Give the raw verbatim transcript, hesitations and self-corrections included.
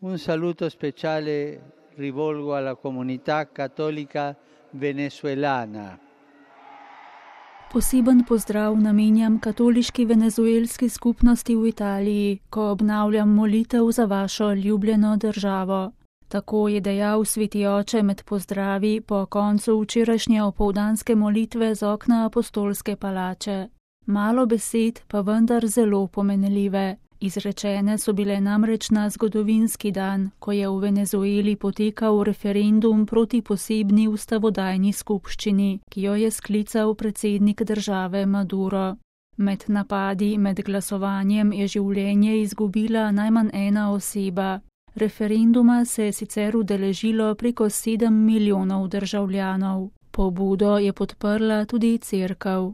Un saluto speciale rivolgo alla comunità cattolica venezuelana. Poseben pozdrav namenjam katoliški venezuelski skupnosti v Italiji, ko obnavljam molitev za vašo ljubljeno državo. Tako je dejal sveti oče med pozdravi po koncu včerajšnje opoldanske molitve z okna apostolske palače. Malo besed, pa vendar zelo pomenljive. Izrečene so bile namreč na zgodovinski dan, ko je v Venezueli potekal referendum proti posebni ustavodajni skupščini, ki jo je sklical predsednik države Maduro. Med napadi med glasovanjem je življenje izgubila najmanj ena oseba. Referenduma se je sicer udeležilo preko sedem milijonov državljanov. Pobudo je podprla tudi cerkev.